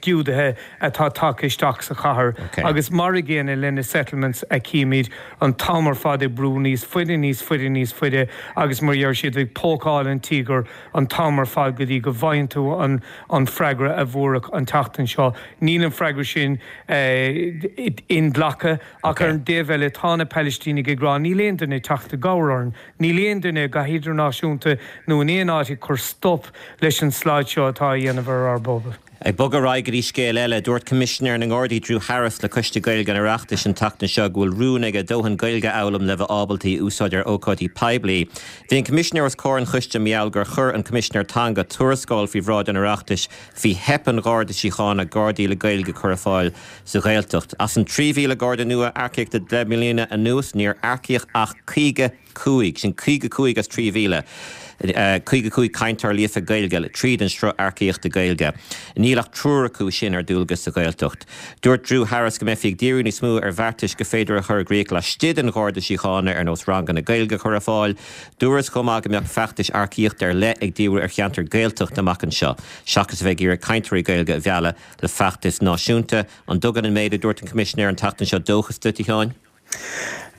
Giúdaithe atá tagtha isteach sa chathair. Agus mar a gcéanna le na settlements a chímid an t-am ar fad ag brú níos faide, níos faide, níos faide agus mar a deir siad ag pócáil an tíogair an t-am ar fad go dtí go bhfaigheann tú an freagra a fuaireadh an tseachtain seo. Níl an freagra sin inghlactha ach ar an dtaobh eile tá na Palaistínigh ag rá níl aon duine ag teacht i gcabhair orainn. Níl aon duine, go hidirnáisiúnta nó in aon áit, ag cur stop leis an slad seo atá á dhéanamh ar ár bpobal.
Ag bogadh ar aghaidh go dtí scéal eile, dúirt Coimisinéir na nGardaí Drew Harris le Coiste Gaeilge an Oireachtais an tseachtain seo go bhfuil rún aige dóthain Gaeilge a fhoghlaim le bheith ábalta í a úsáid ar ócáidí poiblí. Bhí an Coimisinéir os comhair an choiste mar gheall gur chuir an Coimisinéir Teanga tuarascáil faoi bhráid an Oireachtais faoi theip an Gharda Síochána Gardaí le Gaeilge a chur ar fáil sa Ghaeltacht. As an 3,000 Garda nua a earcaíodh le 10 mbliana anuas, níor earcaíodh ach 55, sin 55 as 3,000, 55 cainteoir líofa Gaeilge tríd an sruth earcaíochta Gaeilge. Níl ach triúr acu sin ar dualgas sa Ghaeltacht. Dúirt Drew Harris go mbeifí ag díriú níos mó ar bheartais gur féidir a chur i gcrích laistigh den Gharda Síochána ar nós ranganna Gaeilge a chur ar fáil. Dúradh chomh maith go mbeadh feachtais earcaíochta ar leith ag díriú ar cheantair Ghaeltachta amach anseo, seachas a bheith ag iarraidh cainteoirí Gaeilge a mhealladh le feachtais náisiúnta. An dtugann an méid a dúirt an Coimisinéir an tseachtain seo dóchas duit, a Sheáin?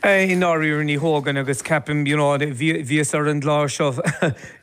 I ndáiríre ní thugann agus ceapaim, you know, bhíos ar an gclár seo,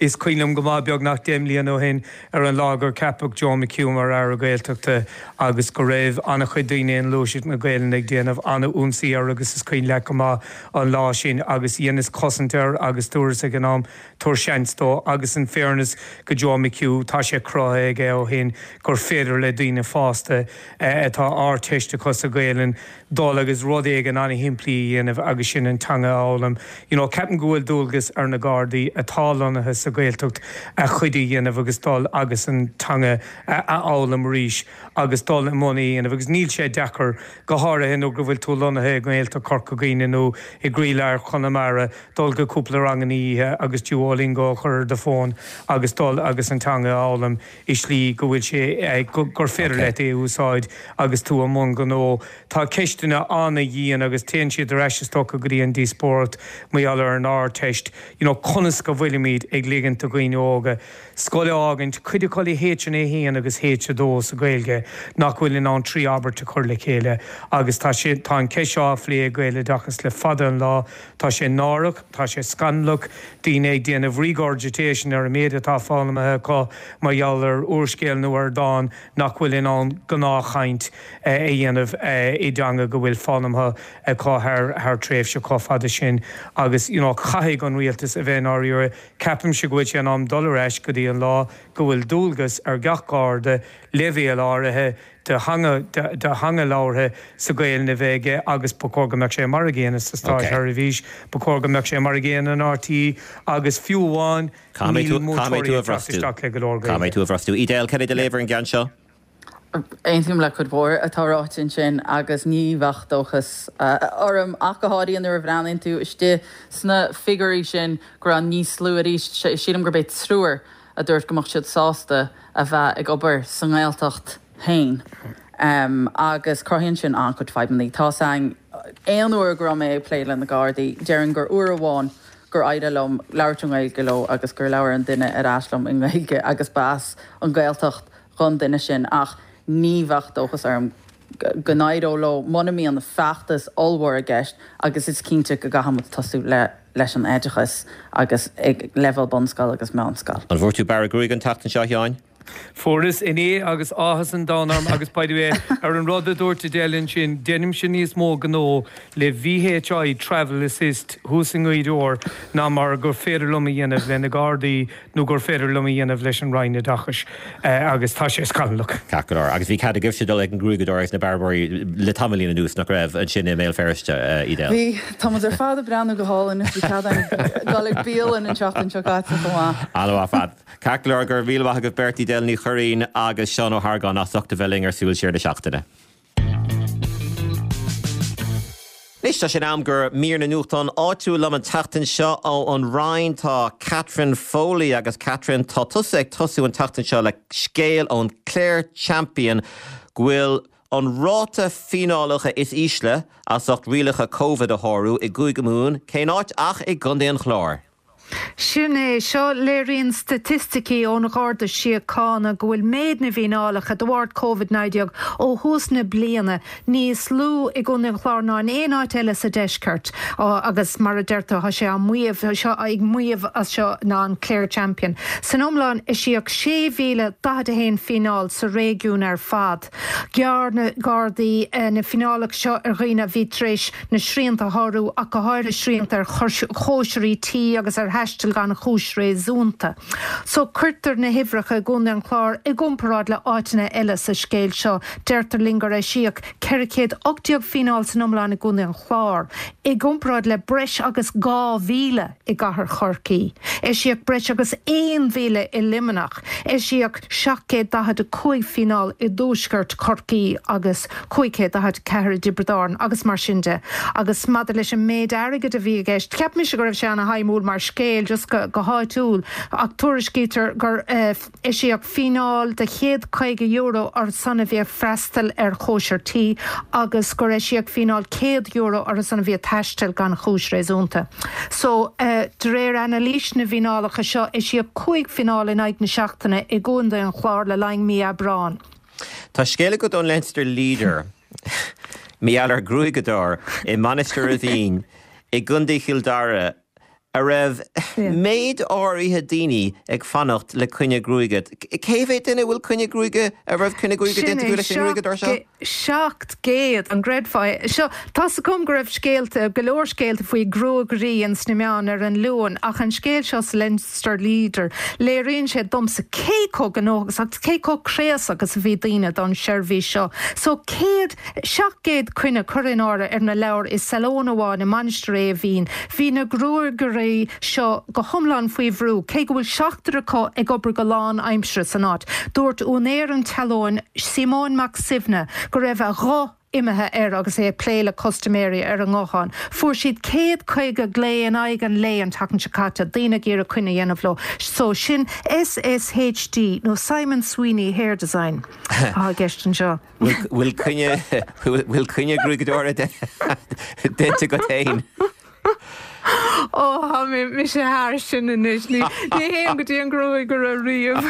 is cuimhin liom go maith beagnach 10 mbliana ó shin ar an lá gur ceapadh Joe McHugh mar Aire Gaeltachta agus go raibh an-chuid daoine i nGluaiseacht na Gaelainne ag déanamh an-ionsaí air agus is cuimhin leat go maith an lá sin agus dheineas cosaint air agus dúras ag an am Tabhair seans dó agus in fairness go Joe McHugh, tá sé cruthaithe aige ó shin gur féidir le daoine fásta atá Ardteist acu sa Ghaelainn dul agus rud éigin an-shimplí a dhéanamh agus sin an teanga a fhoghlaim. You know, ceapaim go bhfuil dualgas ar na Gardaí atá lonnaithe sa Ghaeltacht a chuid a dhéanamh agus dul agus an teanga a fhoghlaim arís agus dul i mbun é a dhéanamh agus níl sé deacair, go háirithe nuair go bhfuil tú lonnaithe i nGaeltacht Chorca Dhuibhne nó i gcroílár Chonamara. dul go cúpla ranganna oíche agus Duolingo a chur ar do fón agus dul agus an teanga a fhoghlaim i slí go bhfuil sé, gur féidir leat é a úsáid agus tú i mbun gnó. Tá ceisteanna an-dhian agus téann siad ar ais is dócha go dtí an díospóireacht mar gheall ar an Ardteist, you know conas go bhfuilimid ag ligint do dhaoine óga scoil a fhágaint, cuid acu le H1 agus H2 sa Ghaeilge nach bhfuil in ann 3 abairt a chur le chéile agus tá sé, tá an cheist seo á phlé ag Gaeloideachas le fada an lá. Tá sé náireach, tá sé scannalach, daoine ag déanamh regurgitation ar an méid atá foghlamtha acu mar gheall ar úrscéal nó ar dhán nach bhfuil in ann gnáthchaint a dhéanamh i dteanga go bhfuil foghlamtha acu thar tréimhse chomh fada sin agus you know caithfidh an rialtas a bheith i ndáiríre. Ceapaimse go bhfuil sé in am dul ar ais go dtí an lá go bhfuil dualgas ar gach Garda leibhéal áirithe de theanga de theanga labhartha sa Ghaelainn a bheith aige agus ba chóir go mbeadh sé mar a gcéanna sa státseirbhís, ba chóir go mbeadh sé mar a gcéanna in RTÉ agus fiú amháin níl múinteoirí ag teacht isteach le go leor
Gaeilge. Caithfidh mé tú a bhrostú. Edel, cad é do léamh ar an gceann seo?
Aontaím le cuid mhór atá ráite ansin agus ní bheadh dóchas orm ach go háirithe nuair a bhreathnaíonn tú istigh sna figiúirí sin go raibh níos lú arís, sílim gurb é triúr a dúirt go mbeadh siad sásta a bheith ag obair sa nGaeltacht féin agus cruthaíonn sin an-chuid fadhbanna. Tá's a'inn, aon uair go raibh mé ag plé le na Gardaí, déarfainn gur uair amháin gur éirigh liom labhairt i nGaeilge leo agus gur labhair an duine ar ais liom i nGaeilge agus ba as an Ghaeltacht dhon duine sin ach ní bheadh dóchas orm go n-éireodh leo muna mbíonn feachtas ollmhór i gceist agus is cinnte go gcaithfidh muid tosú le. leis an oideachas agus ag leibhéal bunscoil agus meánscoil.
An bhfuair tú bearradh gruaige an tseachtain seo, a Sheáin?
Fuaireas inné agus áthas an domhain orm agus by the way ar an rud a dúirt Edel ansin, deinimse níos mó gnó le VHI Travel Assist thuas i nGaoth Dobhair ná mar gur féidir liom a dhéanamh le na Gardaí nó gur féidir liom a dhéanamh leis an Roinn Oideachais agus tá sé scannalach.
Ceart go leor. Agus bhí cead agaibhse dul ag an ngruaigeadóir agus na bearbóirí le tamaillín anuas, nach raibh, ansin i mBéal Feirste, Edel?
Bhí. Tá muid ar fad ag breathnú go hálainn is bhí cead againn dul ag bialann an tseachtain seo caite chomh maith.
An-mhaith ar fad. Ceart go leor, go raibh míle maith agaibh beirt, Edel Ní Churraoin agus Seán Ó hArgáin as ucht a bheith linn ar Súil Siar na Seachtaine. Anois tá sé in am do mhír na nuachtán áitiúil liom an tseachtain seo ó an Rinn tá Catherine Foley agus Catherine tá tusa ag tosú an tseachtain seo le scéal ón Clare Champion go bhfuil an ráta fíneálacha is ísle as ucht rialacha Covid a shárú i gCúige Mumhan, cén áit ach i gContae an Chláir.
Sin é seo, léiríonn staitisticí ón Gharda Síochána go bhfuil méid na bhfíneálacha de bharr Covid-19 ó thús na bliana níos lú i gContae an Chláir ná in aon áit eile sa deisceart agus mar a deir tú tá sé á maíomh seo ag maíomh as seo ná an Clare Champion. San iomlán eisíodh 6,041 fíneáil sa réigiún ar fad. Ghearr na Gardaí na fíneálacha seo ar dhaoine a bhí tar éis na srianta a shárú, ach go háirithe srianta ar chóisirí tí agus ar thaisteal gan chúis réasúnta. So cuirtear na huimhreacha i gContae an Chláir i gcomparáid le áiteanna eile sa scéal seo. Deirtear linn gur eisíodh 418 fíneáil san iomlán i gContae an Chláir, i gcomparáid le breis agus 2,000 i gcathair Chorcaí. Eisíodh breis agus 1,000 i Luimneach. Eisíodh 745 fíneáil i dtuaisceart Chorcaí agus 544 i dTiobraid Árann agus mar sin de. Agus maidir leis an méid airgid a bhí i gceist, cheap mise go raibh sé ana-shuimiúil mar scéal just go háitiúil ach tuairiscítear gur eisíodh fíneáil de €150 orthu san a bhí ag freastal ar chóisir tí agus gur eisíodh fíneáil €100 orthu san a bhí ag taisteal gan chúis réasúnta. So, de réir anailís na bhfíneálacha seo, eisíodh 5 fineáil in aghaidh na seachtaine i gContae an Chláir le linn mí Aibreáin.
Tá scéal agat ón Leinster Leader mar gheall ar ghruaigeadóir i Mainistir Eimhín i gContae Chill Dara a raibh méid áirithe daoine ag fanacht le coinne gruaige. Cé mhéad duine a bhfuil coinne gruaige, a raibh coinne gruaige
Sin
déanta
é,
acu leis an ngruaigeadóir seo?
700, an gcreidfeá é? Seo, tá's agam go raibh scéalta, go leor scéalta faoi ghruagairí ins na meáin ar an Luan, ach an scéal seo sa Leinster Leader, léiríonn sé domsa cé chomh gnóthach agus cé chomh craosach is a bhí daoine don seirbhís seo. So, 100, 700 coinne curtha in áirithe ar na leabhair i salón amháin i Mainistir Eimhín. Bhí na gruagairí seo go hiomlán faoi bhrú, cé go bhfuil seachtar acu ag obair go lán-aimseartha san áit. Dúirt úinéir an tsealóin, Síomón Mac Suibhne, go raibh a ghuth imithe air agus é ag plé le custaiméirí ar an nguthán. Fuair siad 150 glao in aghaidh an lae an tseachtain seo caite, daoine ag iarraidh coinne a dhéanamh leo. So, sin SSHD, nó Simon Sweeney Hair Design, atá i gceist anseo.
Bhfuil coinne, bhfuil coinne gruaigeadóra déanta agat féin?
Ó, tá mé, mise thar sin anois. Ní, ní théim go dtí an gruagaire riamh.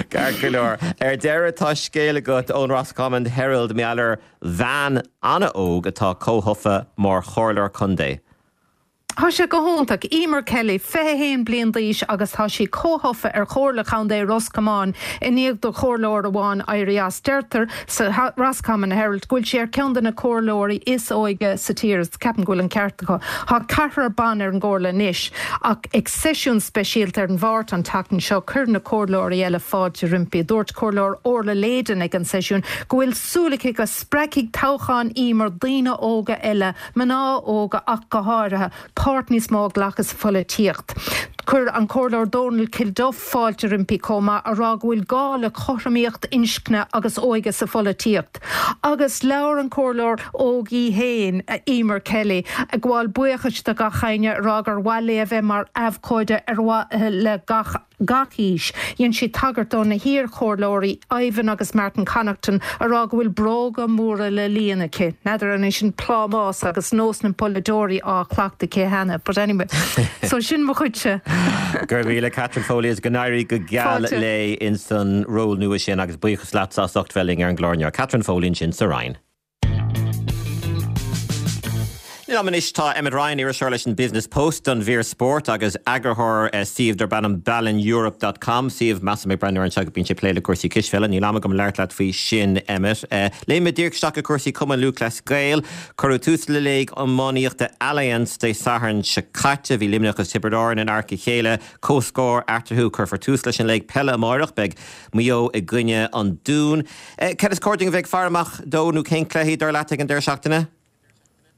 Ceart go leor. Ar deireadh, tá scéal agat ón Roscommon Herald mar gheall ar bhean an-óg atá comhthofa mar chomhairleoir contae.
Tá sé go hiontach. Emer Kelly, 21 bliain d'aois agus tá sí comhthofa ar Chomhairle Chontae Ros Comáin i ndiaidh do chomhairleoir amháin éirí as. Deirtear sa Roscommon Herald go bhfuil sí ar ceann de na comhairleoirí is óige sa tír agus ceapaim go bhfuil an ceart acu. Tá ceathrar ban ar an gcomhairle anois ach ag seisiún speisialta ar an Mháirt an tseachtain seo chuir na comhairleoirí eile fáilte roimpi. Dúirt Comhairleoir Orla Leyden ag an seisiún go bhfuil súil aici go spreagfaidh toghchán Emer daoine óga eile mná óga ach go háirithe, páirt níos mó a ghlacadh sa pholaitíocht. Chuir an Comhairleoir Dónal Kilduff fáilte roimpi chomh maith, a rá go bhfuil gá le cothromaíocht inscne agus óige sa pholaitíocht. Agus labhair an Comhairleoir óg í féin, Emer Kelly, ag gabháil buíochais do gach éinne, a rá gur mhaith léi a bheith mar abhcóide ar mhaithe le gach. gach aois. Dhein sí tagairt do na hiar-chomhairleoirí Ivan agus Martin Connaughton a rá go bhfuil bróga móra le líonadh aici. N'fheadar an é sin plámás agus nós na bpolaiteoirí á chleachtadh aici cheana but anyway. So sin mo chuidse.
Go raibh míle Catherine Foley is go n-éirí go geal
Fáilte.
léi ins an ról nua sin agus buíochas leatsa as ucht bheith linn ar an gclár inniu. Catherine Foley ansin sa Rinn. Liom anois tá Emmet Ryan, iriseoir leis an Business Post don mhír spóirt agus eagarthóir suíomh darb ainm ballineurope dot com, suíomh, measaim ag breathnú air anseo go mbíonn sé ag plé le cúrsaí cispheile. Níl am agam labhairt leat faoi sin, Emmet. Léimfidh díreach isteach i gcúrsaí Cumann Lúthchleas Gael. Cuireadh tús le Léig Iománaíochta Allianz Dé Sathairn seo caite. Bhí Luimneach agus Tiobraid Árann in adharca a chéile. Comhscór eatarthu. Cuirfear tús leis an léig peile amáireach. Beidh Maigh Eo i gcoinne an Dúin. Cad is cóir dúinn a bheith ag faire amach dó nó cén cluichí, dar leat, ag an deireadh seachtaine?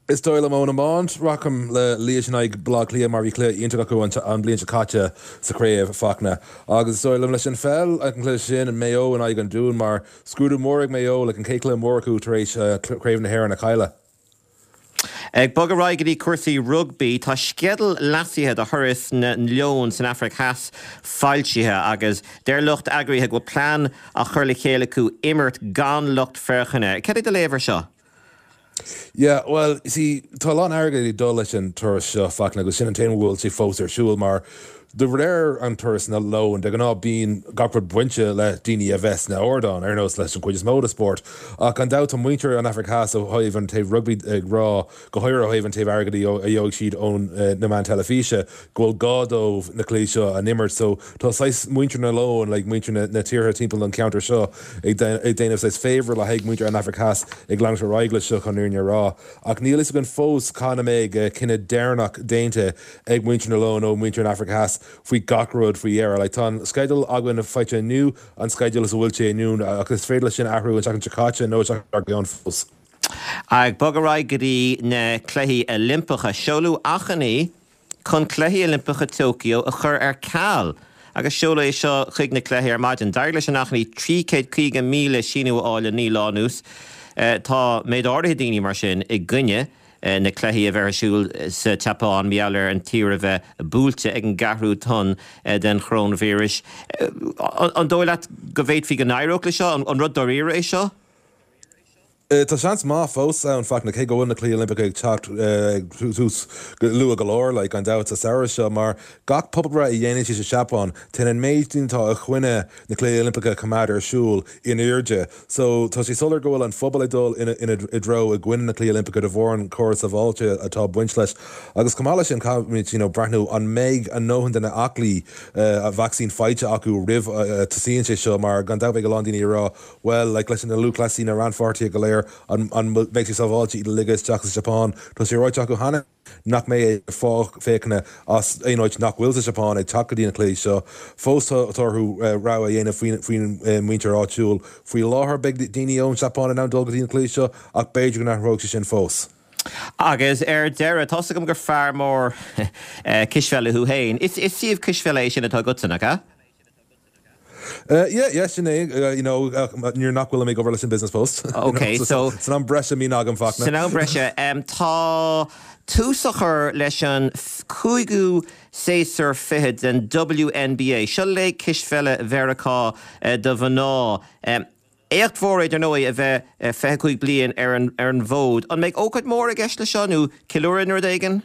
Is dóigh liom ón iomáint, rachainn le Laois in aghaidh Baile Átha Cliath mar bhí cluiche iontach acu an bhliain seo caite sa chraobh, Fachtna. Agus is dóigh liom leis an pheil, an cluiche sin, Maigh Eo in aghaidh an Dúin mar scrúdú mór ag Maigh Eo, like an chéad chluiche mór acu tar éis Craobh na hÉireann a chailleadh.
Ag bogadh ar aghaidh go dtí cúrsaí rugbaí, tá sceideal leasaithe do thuras na Leon san Afraic Theas foilsithe agus deir lucht eagraithe go bhfuil plean á chur le chéile acu imirt gan lucht féachana. Cad é do léamh air seo?
Yeah, bhuel, you see, tá a lán airgid ag dul leis an turas seo, Fachtna, agus sin an t-aon bhfuil sé fós ar siúl, mar de réir an turas na Leon, de ghnáth bíonn gach rud bainte le daoine a bheith sna ardáin, ar nós leis an chuid is mó de spórt. Ach gan dabht tá muintir an Afraic Theas ó thaobh an taobh rugbaí ag rá, go háirithe ó thaobh an taobh airgid a gheobhaidh siad ón na meáin teilifíse, go bhfuil gá dóibh na cluichí seo a n-imirt. So tá saghas muintir na Leon, like muintir na na tíortha timpeall an ceantar seo ag ag déanamh saghas favour le haghaidh muintir an Afraic Theas ag leanacht ar aghaidh leis seo chun an fhírinne a rá. Ach níl fhios againn fós cathain a mbeidh cinneadh deireanach déanta ag muintir na Leon nó muintir an Afraic Theas faoi gach rud faoi dheireadh. Like tá an sceideal againn faighte inniu, an sceideal is a bhfuil sé inniu ach is féidir leis sin athrú an tseachtain seo caite nó an tseachtain dár gcionn fós.
Ag bogadh ar aghaidh go dtí na Cluichí Oilimpeacha, seoladh achainí chun Cluichí Oilimpeacha Tokyo a chur ar ceal agus seoladh é seo chuig na cluichí ar maidin. D'éirigh leis an achainí 350,000 síniú a fháil le 9 lá anuas. Tá méid áirithe daoine, mar sin, i gcoinne na cluichí a bheith ar siúl sa tSeapáin mar gheall ar an tír a bheith buailte ag an gceathrú tonn den choróinvíreas. An dóigh leat go bhféadfaí go n-éireodh leis seo? An rud dáiríre é seo?
Tá seans maith fós ann, Fachtna, cé go bhfuil na Cluichí Oilimpeacha ag teacht ag tús luath go leor, like, gan dabht, sa samhradh seo, mar gach pobalbhreith a dhéanann siad sa Seapáin, téann an méid daoine atá i gcoinne na Cluichí Oilimpeacha a choimeád ar siúl in airde. So, tá sé soiléir go bhfuil an phobal ag dul ina ina i dtreo i gcoinne na Cluichí Oilimpeacha de bharr an córas sábháilte atá ag baint leis. Agus chomh maith leis sin, caithfimid, you know, breathnú an mbeidh a ndóthain de na aclaí vacsaín faighte acu roimh a tosaíonn sé seo, mar gan dabht beidh a lán daoine ag rá, Bhuel, like, leis na lúthchleasaí, na rannpháirtithe go léir, an, an mbeidh sé sábháilte iad a ligeadh isteach sa Seapáin? Tá sé ráite acu cheana nach mbeidh aon lucht féachana as aon áit nach bhfuil sa Seapáin ag teacht go dtí na cluichí seo. Fós tá orthu rogha a dhéanamh faoin, faoin muintir áitiúil. Faoi láthair beidh daoine ón Seapáin in ann dul go dtí na cluichí seo ach b'fhéidir go n-athróidh sé sin fós.
Agus ar deireadh, tá's agam gur fear mór cispheile thú féin. Is, is suíomh cispheile é sin atá agatsa, nach ea?
Yeah, yeah, sin é, you know, nuair nach bhfuilim ag obair leis an Business Post.
Ok, so.
San am breise a bhíonn agam, Fachtna.
San am breise. Tá tús á chur leis an cúigiú séasúr fichead den WNBA. Seo léig cispheile Mheiriceá do mhná. Éacht mhór é, dar ndóigh, a bheith 25 bliain ar an bhfód. An mbeidh ócáid mhór i gceist leis seo nó ceiliúradh nó rud éigin?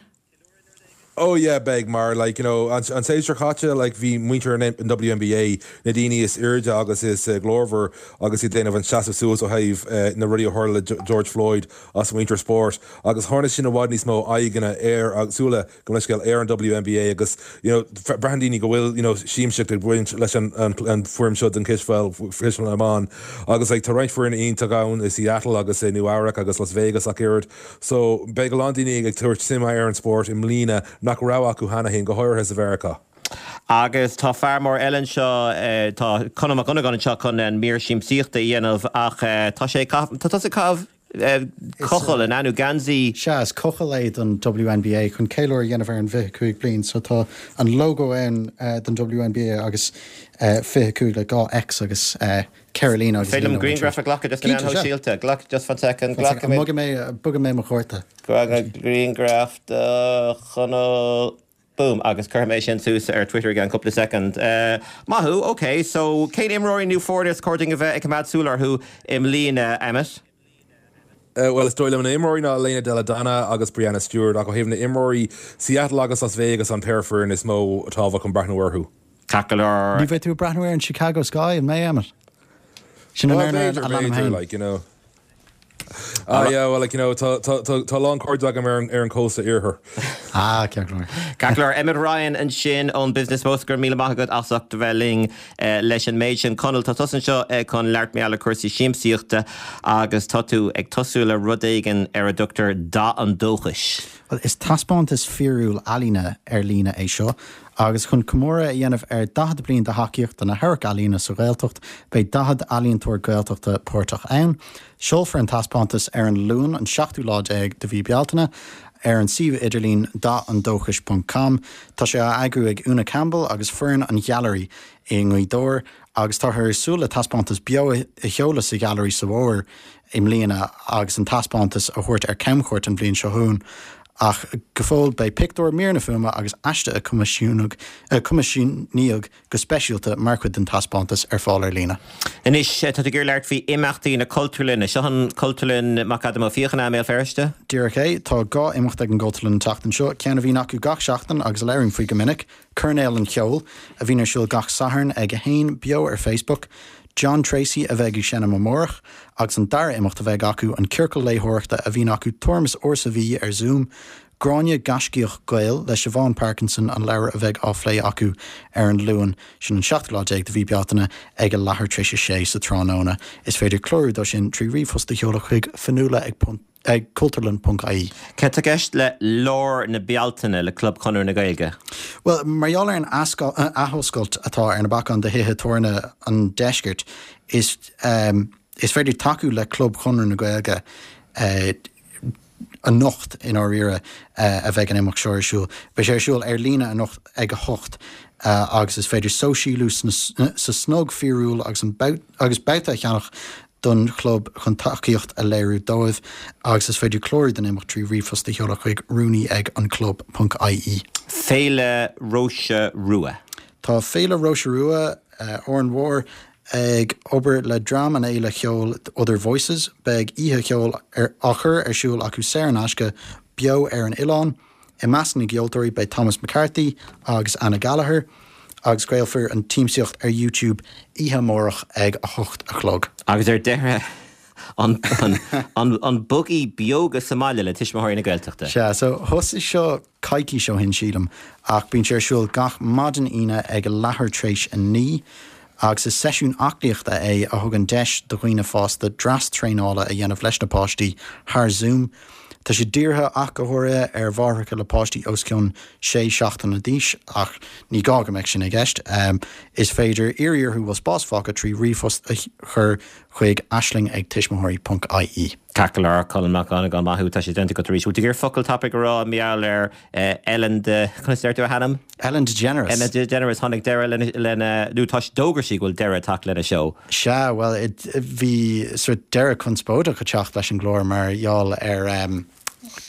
Oh yeah beidh mar like you know an séasúr caite like bhí muintir an WNBA na daoine is airde agus is glórmhar agus iad déanamh an seasamh suas ó thaobh na rudaí a tharla le George Floyd as muintir spóirt agus tharraing sin i bhfad níos mó aghaidheanna ar agus súile gabh mo leithscéal ar an WNBA agus you know braitheann daoine go bhfuil you know siamsaíocht ag baint leis an an foirm seo den chispheil cispheil na mban agus like tá roinnt foirne iontach ann i Seattle agus i Nua Eabhrac agus Las Vegas ach oiread. So, beidh a lán daoine ag tabhairt suime ar an spórt i mbliana nach raibh acu cheana féin, go háirithe sa Mheiriceá.
Agus tá fear mór eile anseo, tá Conall Mac Dhonnagáin anseo chun an mír siamsaíochta a dhéanamh ach tá sé ag caitheamh, tá tusa ag caitheamh cochall, an ea, nó geansaí?
Sea, is cochall é don WNBA chun ceiliúradh a dhéanamh ar an bhfiche 5 bliain. So tá an logo ann don WNBA agus 25 le 2 X agus 4 líne agus
Féidir liom grianghraf a ghlacadh dos na meáin shóisialta? Glac, just fan soicind,
glacfaidh mé. Bogfaidh mé, bogfaidh mé mo chárta.
Glacfaidh grianghraf de Chonall, boom, agus cuirfidh mé sin suas ar Twitter i gceann cúpla soicind. Maith thú, ok, so cén imreoirí nó foirne is cóir dúinn a bheith ag coimeád súil orthu i mbliana, Emmet?
Bhuel, is dóigh liom na himreoirí ná Elena Delle Donne agus Breanna Stewart, ach ó thaobh na n-imreoirí, Seattle agus Las Vegas an péire foireann is mó tábhacht chun breathnú orthu.
Ceart go leor.
Ní bheidh tú ag breathnú ar an Chicago Sky, an mbeidh, Emmet? Sin an
fhoireann a leanaim féin. Like, you know. Ah yeah, well like you know tá tá tá tá a lán cairde agam ar an ar an cósta iarthair.
Ah, ceart go leor.
Ceart go leor. Emmet Ryan ansin ón Business Post, go raibh míle maith agat as ucht a bheith linn leis an méid sin. Conall, tá tusa anseo chun labhairt mar gheall ar cúrsaí siamsaíochta agus tá tú ag tosú le rud éigin ar a dtugtar Dath an Dóchais.
Bhuel, is taispeántas fíorúil ealaíne ar líne é seo agus chun comóradh a dhéanamh ar 40 bliain de thacaíocht do na hamharc-ealaíona sa Ghaeltacht, beidh 40 ealaíontóir Gaeltachta páirteach ann. Seolfar an taispeántas ar an Luan, an seachtú lá déag de mhí Bealtaine, ar an suíomh idirlín dathandóchais ponc com. Tá sé á eagrú ag Úna Campbell agus foireann an Ghailearaí i nGaoth Dobhair agus táthar ag súil le taispeántas beo a sheoladh sa Ghailearaí sa bhfómhar i mbliana agus an taispeántas a thabhairt ar camchuairt an bhliain seo chugainn. Ach go fóill beidh pictiúir, míreanna fuaime agus aiste a coimisiúnaíodh go speisialta mar chuid den taispeántas ar fáil ar líne.
Anois, tá tú ag iarraidh labhairt faoi imeachtaí na Cultúrlainne. Seo an Cultúrlann McAdam Ó Fiaich i mBéal Feirste?
Díreach é. Tá 2 imeacht ag an gCultúrlann an tseachtain seo, ceann a bhíonn acu gach seachtain agus a labhraím faoi go minic, Coirnéal an Cheoil, a bhíonn ar siúl gach Satharn ag 1, beo ar Facebook. John Treacy a bheidh ag seinm amárach, agus an dara imeacht a bheidh acu, an Ciorcal Léitheoireachta a bhíonn acu tuairim is uair sa mhí ar Zoom. Gráinne Gaiscíoch Gael le Siobhán Parkinson an leabhar a bheidh á phlé acu ar an Luan, sin an seachtú lá déag de mhí Bealtaine, ag a leathuair tar éis a sé sa tráthnóna. Is féidir clárú dó sin trí ríomhphost a sheoladh chuig fionnuala ag ag cultúrlann ponc ie.
Cad tá i gceist le lár na Bealtaine le Club Chonradh na Gaeilge?
Bhuel, mar gheall ar an athoscailt atá ar na bacáin do thithe tabhairne an deiscirt, is is féidir tacú le Club Chonradh na Gaeilge anocht, i ndáiríre, a bheidh an imeacht seo ar siúl. Beidh sé ar siúl ar líne anocht ag a hocht agus is féidir sóisialú sa snog fíorúil agus an agus babhta a cheannach don chlub chun tacaíocht a léiriú dóibh agus is féidir clárú don imeacht trí ríomhphost a sheoladh chuig rúnaí ag an club ponc ie.
Féile Róise Rua.
Tá Féile Róise Rua, Árainn Mhór, Ag obair le dream an fhéile cheoil Other Voices, beidh oíche cheoil á chur ar siúl acu saor in aisce beo ar an oileán. I measc na gceoltóirí beidh Thomas McCarthy agus Anna Gallagher, agus craolfar an tsiamsaíocht ar YouTube oíche amárach ag 8 a chlog.
Agus ar deireadh, an Bugaí Beoga sa mbaile le Tuismitheoirí na Gaeltachta.
Sea, so thosaigh seo coicís ó shin, sílim, ach bíonn sé ar siúl gach maidin Aoine ag a leathuair tar éis a 9, agus is seisiún aclaíochta é a thugann deis do dhaoine fásta dreas traenála a dhéanamh leis na páistí thar Zoom. Tá sé dírithe ach go háirithe ar mháithreacha le páistí os cionn sé seachtaine d'aois, ach ní gá go mbeadh sin i gceist. Is féidir iarraidh orthu bhfuil spás fágtha trí ríomhphost a chur chuig aisling ag tuismitheoirí ponc ie.
Ceart go leor, Colm Mac Dhonnagáin, maith thú, tá sé déanta agat arís. Bhfuil tú ag iarraidh focal tapaidh a rá mar gheall ar Ellen de, conas a deir tú a hainm?
Ellen DeGeneres.
Ellen DeGeneres, tháinig deireadh lena, lena, nó tá, d'fhógair sí go bhfuil deireadh ag teacht lena seó.
Sea, bhuel, bhí sort deireadh conspóideach ag teacht leis an gclár mar gheall ar,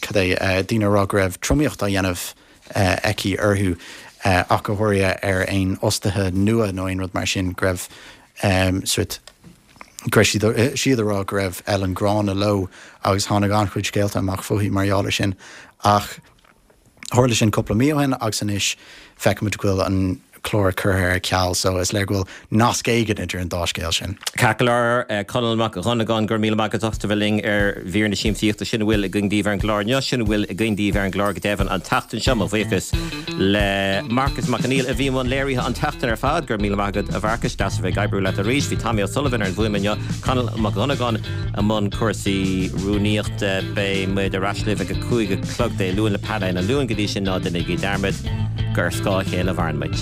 cad é, daoine ag rá go raibh tromaíocht á dhéanamh aici orthu, ach go háirithe ar aon fhostaithe nua nó aon rud mar sin, go raibh sort, go raibh siad, siad ag rá go raibh Ellen gránna leo agus tháinig an-chuid scéalta amach fúithi mar gheall ar sin. Ach tharla sin cúpla mí ó shin agus anois feicimid go bhfuil an clár curtha ar ceal so is léir go bhfuil nasc éigin idir an dá scéal sin.
Ceart go leor, Conall Mac Dhonnagáin, go raibh míle maith agat as ucht a bheith linn ar mhír na siamsaíochta. Sin a bhfuil againn daoibh ar an gclár inniu, sin a bhfuil againn daoibh ar an gclár go deimhin an tseachtain seo. Mo bhuíochas le Marcus Mac Conghail a bhí i mbun léirithe an tseachtain ar fad. Go raibh míle maith agat a Mharcais, deas a bheith ag oibriú leat arís. Bhí Tommy O'Sullivan ar an bhfuaim inniu, Conall Mac Dhonnagáin i mbun cúrsaí rúnaíochta. Beidh muid ar ais libh ag a 5 a chlog Dé Luain le Painéal an Luain. Go dtí sin, ná déanaigí dearmad gur ar scáth a chéile a mhaireann muid.